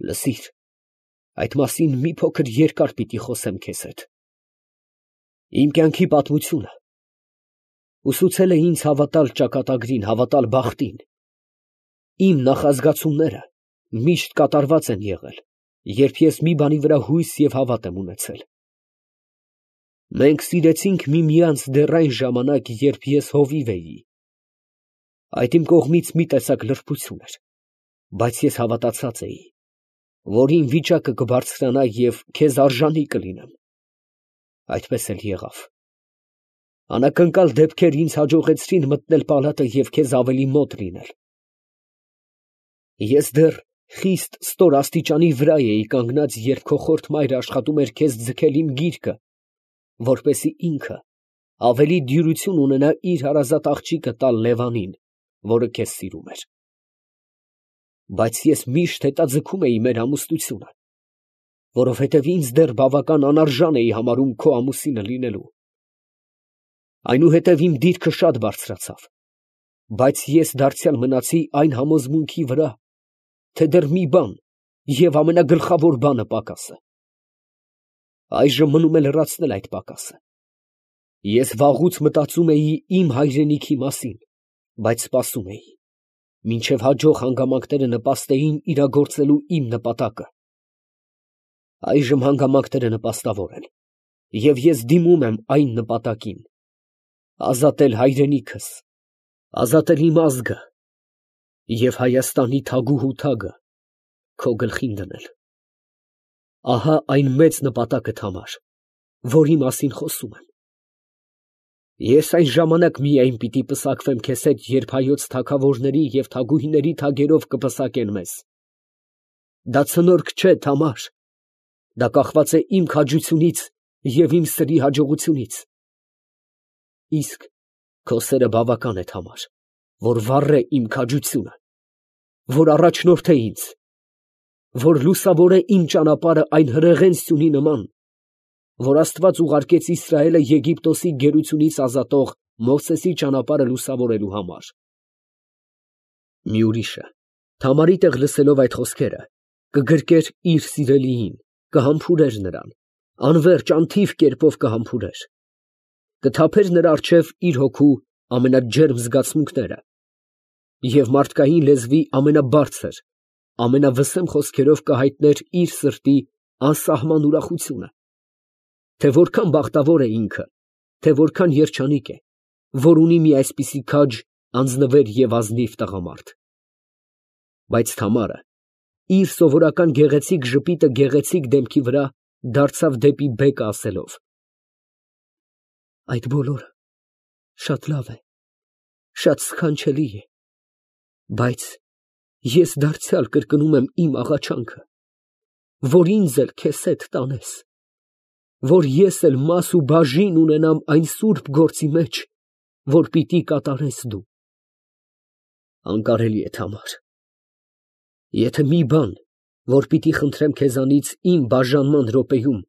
Լսիր, այդ մասին մի փոքր երկար պիտի խոսեմ քեզ հետ։ Իմ կյանքի պատմությունը ուսուցել է ինձ հավատալ ճակատագրին, հավատալ բախտին։ Իմ նախազգացումները միշտ կատարված են եղել, երբ ես մի բանի վրա հույս և հավատ եմ ունեցել։ Մենք սիրեցինք միմյանց դեռ այն ժամանակ, երբ ես հովիվ էի։ Այդ իմ կողմից մի տեսակ լրբություն էր, բայց ես հավատացած էի, որ իմ վիճակը կբարձրանա և քեզ արժանի կլինեմ։ Այդպես էլ եղավ։ Անակնկալ դեպքեր ինձ հաջողեցրին մտնել պալատը և քեզ ավելի մոտ լինել։ Ես դեռ խիստ ստոր աստիճանի վրա էի կանգնած, երբ քո խորթ մայրը աշխատում էր քեզ ձգել իմ գիրկը, որպեսզի ինքը ավելի դյուրություն ունենա իր հարազատ աղջիկը տալ Լևանին, որը քեզ սիրում էր։ Բայց ես միշտ հետաձգում էի մեր ամուսնությունը, որովհետև ինձ դեռ բավական անարժան էի համարում քո ամուսինը լինելու։ Այնուհետև իմ դիրքը շատ բարձրացավ, բայց ես դարձյալ մնացի այն համոզմունքի վրա, թե դեռ մի բան և ամենագլխավոր բանը պակաս է։ Այժմ մնում է լրացնել այդ պակասը։ Ես վաղուց մտածում էի իմ հայրենիքի մասին, բայց սպասում էի, մինչև հաջող հանգամանքները նպաստեին իրագործելու իմ նպատակը։ Այժմ հանգամանքները նպաստավոր են, և ես դիմում եմ այն նպատակին՝ ազատել հայրենիքս, ազատել իմ ազգը և Հայաստանի թագուհու թագը քո գլխին դնել։ Ահա այն մեծ նպատակդ համար, որի մասին խոսում եմ։ Ես այն ժամանակ միայն պիտի պսակվեմ քեզ հետ, երբ հայոց թագավորների և թագուհիների թագերով կպսակեն մեզ։ Դա ցնորք չէ, Թամար, դա կախված է իմ քաջությունից և իմ սրի հաջողությունից։ Իսկ քո սերը բավական է, Թամար, որ վառե իմ քաջությունը, որ առաջնորդե ինձ, որ լուսավորե իմ ճանապարհը այն հրեղեն սյունի նման, որ Աստված ուղարկեց Իսրայելը Եգիպտոսի գերությունից ազատող Մովսեսի ճանապարհը լուսավորելու համար։ Մի ուրիշը, Թամարի տեղ լսելով այդ խոսքերը, կգրկեր իր սիրելիին, կհամբուրեր նրան, անվերջ, անթիվ կերպով կհամբուրեր, կթափեր նրա առջև իր հոգու ամենաջերմ զգացմունքները և մարդկային լեզվի ամենաբարձր, ամենավսեմ խոսքերով կհայտներ իր սրտի անսահման ուրախությունը, թե որքան բախտավոր է ինքը, թե որքան երջանիկ է, որ ունի մի այսպիսի քաջ, անձնվեր և ազնիվ տղամարդ։ Բայց Թամարը իր սովորական գեղեցիկ ժպիտը գեղեցիկ դեմքի վրա դարձավ դեպի բեկը ասելով. այդ բոլորը շատ լավ է, շատ սքանչելի է, բայց ես դարձյալ կրկնում եմ իմ աղաչանքը, որ ինձ էլ քեզ հետ տանես, որ ես էլ մաս ու բաժին ունենամ այն սուրբ գործի մեջ, որ պիտի կատարես դու։ Անկարելի է, Թամար, եթե մի բան, որ պիտի խնդրեմ քեզանից իմ բաժանման րոպեում,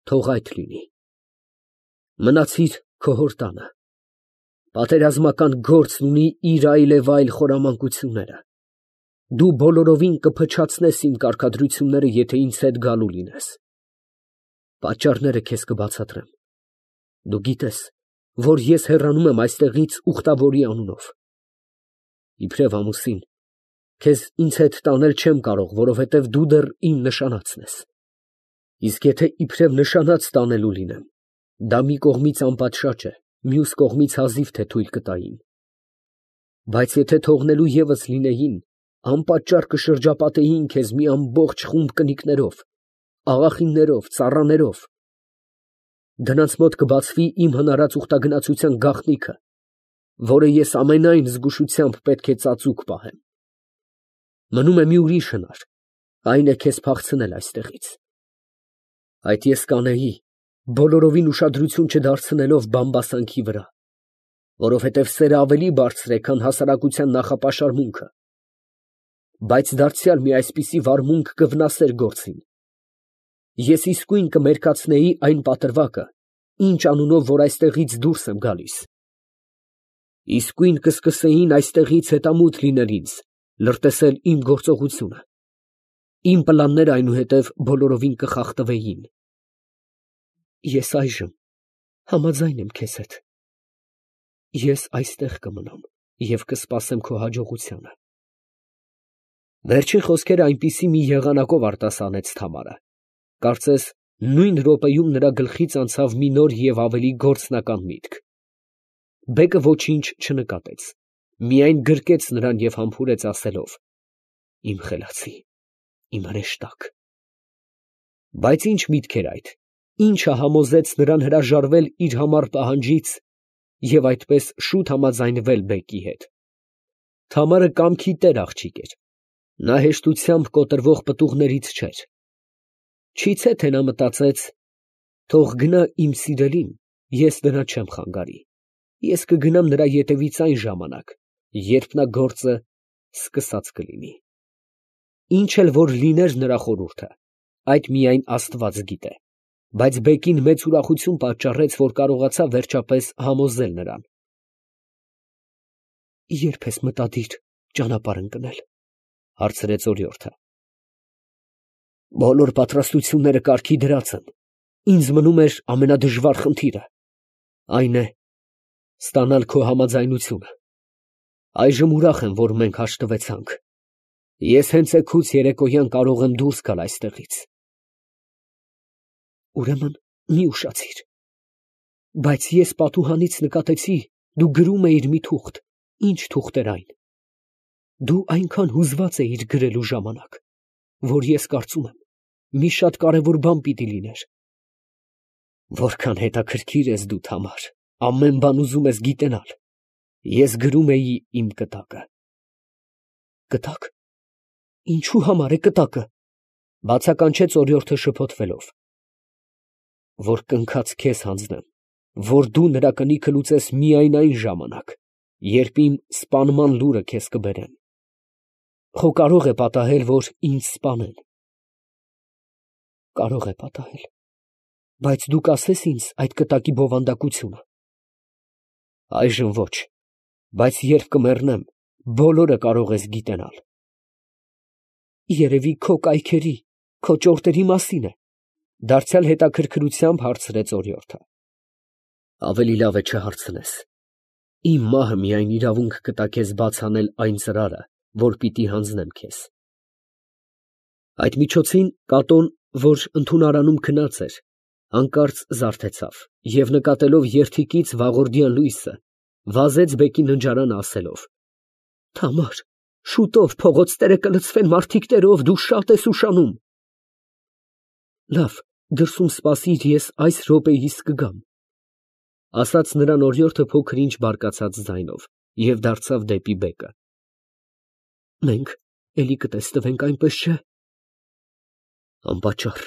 թող այդ լինի։ Մնացիր քո հոր տանը, պատերազմական գործն ունի իր այլևայլ խորամանկությունները, դու բոլորովին կփչացնես իմ կարգադրությունները, եթե ինձ հետ գալու լինես։ Պատճառները քեզ կբացատրեմ, դու գիտես, որ ես հեռանում եմ այստեղից ուխտավորի անունով։ Իբրև ամուսին, քեզ ինձ հետ տանել չեմ կարող, որովհետև դու դեռ իմ նշանածն ես։ Իսկ եթե իբրև նշանած տանելու լինեմ, դա մի կողմից անպատշաճ է, մյուս կողմից հազիվ թե թույլ կտային։ Բայց եթե թողնելու ևս լինեին, անպատճառ կշրջապատեին քեզ մի ամբողջ խումբ կնիկներով, աղախիններով, ծառաներով։ Դրանց մոտ կբացվի իմ հնարած ուխտագնացության գաղտնիքը, որը ես ամենայն զգուշությամբ պետք է ծածուկ պահեմ։ Մնում է մի ուրիշ հնար, այն է քեզ փախցնել այստեղից։ Այդ ես կանեի, բոլորովին ուշադրություն չդարձնելով բամբասանքի վրա, որովհետև սերը ավելի բարձր է, քան հասարակության նախապաշարմունքը։ Բայց դարձյալ մի այսպիսի վարմունք կվնասեր գործին։ Ես իսկույն կմերկացնեի այն պատրվակը, ինչ անունով որ այստեղից դուրս եմ գալիս։ Իսկույն կսկսեին այստեղից հետամուտ լինել ինձ, լրտեսել իմ գործողությունը։ Իմ պլանները այնուհետև բոլորովին կխախտվեին։ Ես այժմ համաձայն եմ քեզ հետ։ Ես այստեղ կմնամ և կսպասեմ քո հաջողությանը։ Վերջին խոսքերը այնպիսի մի եղանակով արտասանեց Թամարը, կարծես նույն րոպեում նրա գլխից անցավ մի նոր և ավելի գործնական միտք։ Բեկը ոչինչ չնկատեց, միայն գրկեց նրան և համբուրեց ասելով. «Իմ խելացի, իմ հրեշտակ»։ Բայց ի՞նչ միտք էր այդ, ի՞նչը համոզեց նրան հրաժարվել իր համառ պահանջից և այդպես շուտ համաձայնվել բեկի հետ։ Թամարը կամքի տեր աղջիկ էր, նա հեշտությամբ կոտրվող պտուղներից չէր։ Չիցե թե նա մտածեց. «Թող գնա իմ սիրելին, ես դրա չեմ խանգարի, ես կգնամ նրա ետևից այն ժամանակ, երբ նա գործը սկսած կլինի»։ Ինչ էլ որ լիներ նրա խորհուրդը, այդ միայն Աստված գիտե, բայց բեկին մեծ ուրախություն պատճառեց, որ կարողացավ վերջապես համոզել նրան։ «Ե՞րբ ես մտադիր ճանապարհ ընկնել», ֊ հարցրեց օրիորդը։ «Բոլոր պատրաստությունները կարգի դրած են, ինձ մնում էր ամենադժվար խնդիրը, այն է ստանալ քո համաձայնությունը։ Այժմ ուրախ եմ, որ մենք հաշտվեցանք։ Ես հենց էգուց երեկոյան կարող եմ դուրս գալ այստեղից»։ «Ուրեմն մի ուշացիր, բայց ես պատուհանից նկատեցի, դու գրում էիր մի թուղթ, ի՞նչ թուղթ էր այն։ Դու այնքան հուզված էիր գրելու ժամանակ, որ ես կարծում եմ, մի շատ կարևոր բան պիտի լիներ»։ «Որքան հետաքրքիր ես դու, Թամար, ամեն բան ուզում ես գիտենալ։ Ես գրում էի իմ կտակը»։ «Կտակ, ինչու համար է կտակը», ֊ բացականչեց օրիորդը շփոթվելով։ «Որ կնքած քեզ հանձնեմ, որ դու նրա կնիքը լուծես միայն այն ժամանակ, երբ իմ սպանման լուրը քեզ կբերեմ։ Խո կարող է պատահել, որ ինձ սպանեն»։ «Կարող է պատահել, բայց դու կասես ինձ այդ կտակի բովանդակությունը»։ «Այժմ ոչ, բայց երբ կմեռնեմ, բոլորը կարող ես գիտենալ»։ «Երևի քո կայքերի, քո ճորտերի մասին է», ֊ դարձյալ հետաքրքրությամբ հարցրեց օրիորդը։ «Ավելի լավ է չհարցնես։ Իմ մահը միայն իրավունք կտա քեզ բաց անել այն ծրարը, որ պիտի հանձնեմ քեզ»։ Այդ միջոցին Կատոն, որ ընդունարանում քնած էր, հանկարծ զարթեցավ և նկատելով երդիկից վաղորդյան լույսը, վազեց բեկի ննջարանը, ասելով. «Թամար, շուտով փողոցները կլցվեն մարդիկներով, դու շատ ես ուշանում»։ «Լավ, դրսում սպասիր, ես այս րոպեիս կգամ», ֊ ասաց նրան օրիորդը փոքր֊ինչ բարկացած ձայնով և դարձավ դեպի բեկը։ «Մենք էլի կտսնվենք, այնպես չէ՞։ Անպատճառ,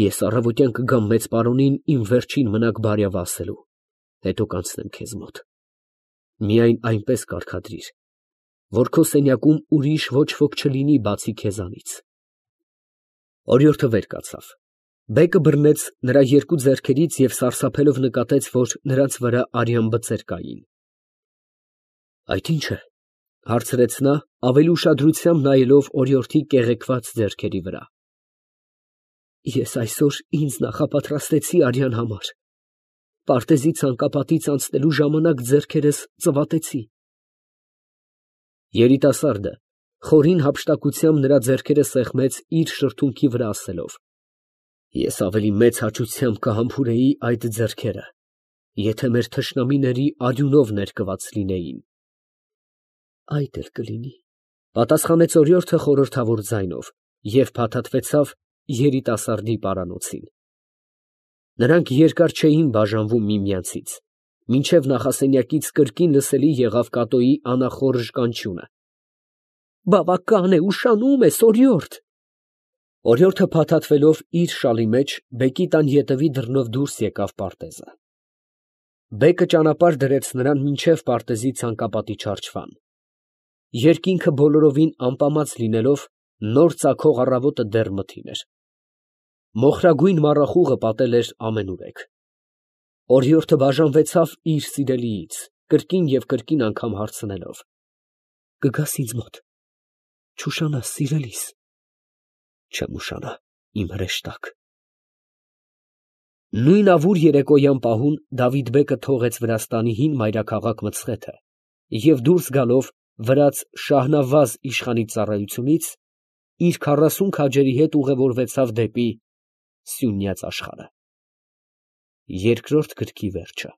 ես առավոտյան կգամ մեծ պարոնին իմ վերջին մնաք բարյավը ասելու, հետո կանցնեմ քեզ մոտ։ Միայն այնպես կարգադրիր, որ քո սենյակում ուրիշ ոչ ոք չլինի, բացի քեզանից»։ Օրիորդը վեր կացավ։ Բեկը բռնեց նրա երկու ձեռքերից և սարսափելով նկատեց, որ նրանց վրա արյան բծեր կային։ «Այդ ի՞նչ է», ֊ հարցրեց նա, ավելի ուշադրությամբ նայելով օրիորդի կեղեքված ձեռքերի վրա։ «Ես այսօր ինձ նախապատրաստեցի արյան համար, պարտեզի ցանկապատից անցնելու ժամանակ ձեռքերս ծվատեցի»։ Երիտասարդը խորին հափշտակությամբ նրա ձեռքերը սեղմեց իր շրթունքի վրա, ասելով. «Ես ավելի մեծ հաճությամբ կհամբուրեի այդ ձեռքերը, եթե մեր թշնամիների արյունով ներկված լինեին»։ «Այդ էլ կլինի», ֊ պատասխանեց օրիորդը խորհրդավոր ձայնով և փաթաթվեցավ երիտասարդի պարանոցին։ Նրանք երկար չէին բաժանվում միմյանցից, մինչև նախասենյակից կրկին լսելի եղավ Կատոյի անախորժ կանչյունը. «Բավական է, ուշանում ես, օրիորդ»։ Օրիորդը փաթաթվելով իր շալի մեջ, բեկի տան ետևի դռնով դուրս եկավ պարտեզը։ Բեկը ճանապարհ դրեց նրան մինչև պարտեզի ցանկապատի չարչարան։ Երկինքը բոլորովին ամպամած լինելով, նոր ծագող առավոտը դեռ մթին էր։ Մոխրագույն մառախուղը պատել էր ամենուրեք։ Օրիորդը բաժանվեցավ իր սիրելիից, կրկին և կրկին անգամ հարցնելով. «Կգաս ինձ մոտ, չուշանաս, սիրելիս»։ Չեմ ուշանա, իմ հրեշտակ։ Նույն ավուր երեկոյան պահուն Դավիթ֊բեկը թողեց Վրաստանի հին մայրաքաղաք Մցխեթը և դուրս գալով վրաց Շահնավազ իշխանի ծառայությունից, իր 40 քաջերի հետ ուղևորվեցավ դեպի սյունյաց աշխարհը։ Երկրորդ գրքի վերջը։